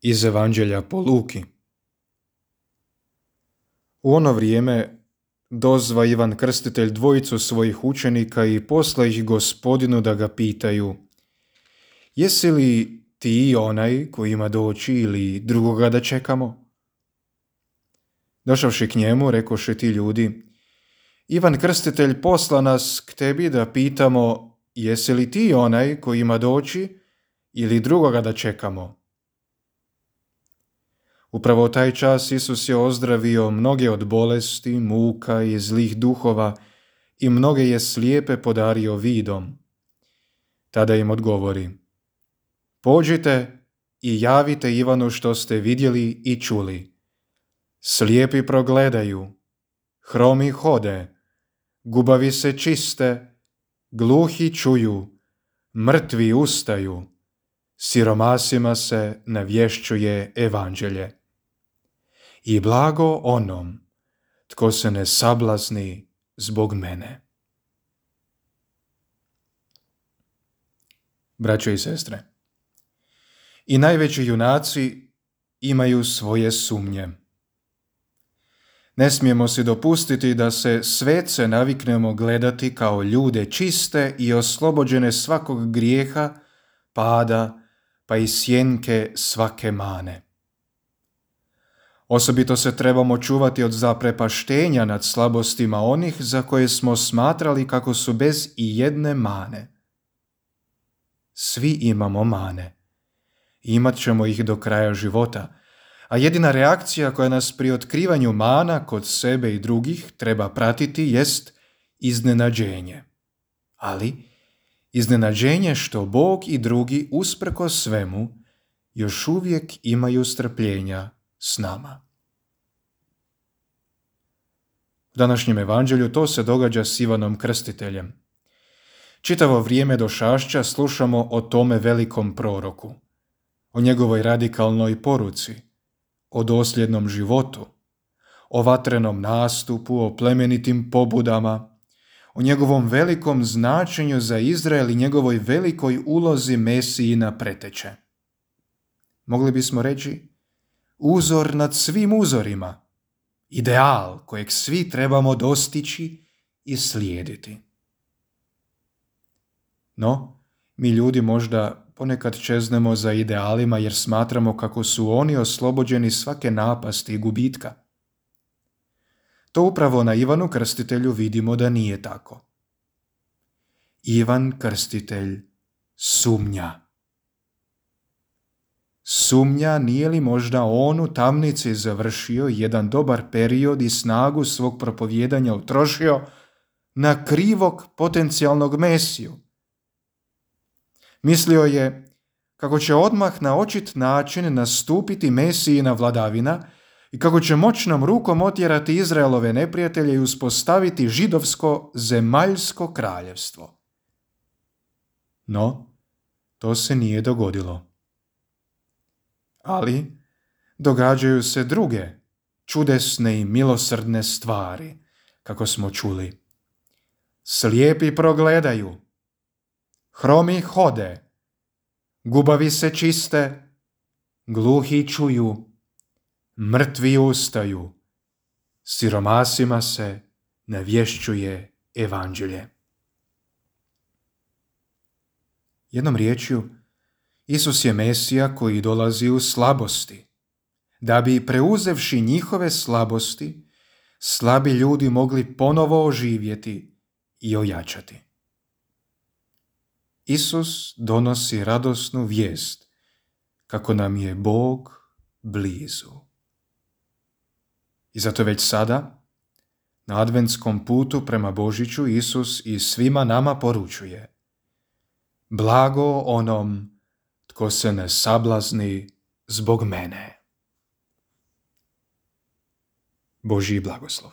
Iz Evanđelja po Luki. U ono vrijeme dozva Ivan Krstitelj dvojicu svojih učenika i posla ih Gospodinu da ga pitaju: jesi li ti onaj koji ima doći ili drugoga da čekamo? Došavši k njemu, rekoše ti ljudi: Ivan Krstitelj posla nas k tebi da pitamo: jesi li ti onaj koji ima doći ili drugoga da čekamo? Upravo u taj čas Isus je ozdravio mnoge od bolesti, muka i zlih duhova i mnoge je slijepe podario vidom. Tada im odgovori: pođite i javite Ivanu što ste vidjeli i čuli. Slijepi progledaju, hromi hode, gubavi se čiste, gluhi čuju, mrtvi ustaju, siromasima se navješćuje evanđelje. I blago onom tko se ne sablazni zbog mene. Braćo i sestre, i najveći junaci imaju svoje sumnje. Ne smijemo si dopustiti da se svece naviknemo gledati kao ljude čiste i oslobođene svakog grijeha, pada, pa i sjenke svake mane. Osobito se trebamo čuvati od zaprepaštenja nad slabostima onih za koje smo smatrali kako su bez i jedne mane. Svi imamo mane. Imat ćemo ih do kraja života, a jedina reakcija koja nas pri otkrivanju mana kod sebe i drugih treba pratiti jest iznenađenje. Ali iznenađenje što Bog i drugi usprkos svemu još uvijek imaju strpljenja s nama. U današnjem evanđelju to se događa s Ivanom Krstiteljem. Čitavo vrijeme do Šašća slušamo o tome velikom proroku, o njegovoj radikalnoj poruci, o dosljednom životu, o vatrenom nastupu, o plemenitim pobudama, o njegovom velikom značenju za Izrael i njegovoj velikoj ulozi Mesijina preteče. Mogli bismo reći, uzor nad svim uzorima, ideal kojeg svi trebamo dostići i slijediti. No, mi ljudi možda ponekad čeznemo za idealima jer smatramo kako su oni oslobođeni svake napasti i gubitka. To upravo na Ivanu Krstitelju vidimo da nije tako. Ivan Krstitelj sumnja. Sumnja nije li možda on u tamnici završio jedan dobar period i snagu svog propovijedanja utrošio na krivog potencijalnog Mesiju. Mislio je kako će odmah na očit način nastupiti Mesijina vladavina i kako će moćnom rukom otjerati Izraelove neprijatelje i uspostaviti židovsko zemaljsko kraljevstvo. No, to se nije dogodilo. Ali događaju se druge čudesne i milosrdne stvari, kako smo čuli. Slijepi progledaju, hromi hode, gubavi se čiste, gluhi čuju, mrtvi ustaju, siromasima se navješćuje evanđelje. Jednom riječju, Isus je Mesija koji dolazi u slabosti, da bi preuzevši njihove slabosti, slabi ljudi mogli ponovo oživjeti i ojačati. Isus donosi radosnu vijest kako nam je Bog blizu. I zato već sada, na adventskom putu prema Božiću, Isus i svima nama poručuje: blago onom tko se ne sablazni zbog mene. Božji blagoslov.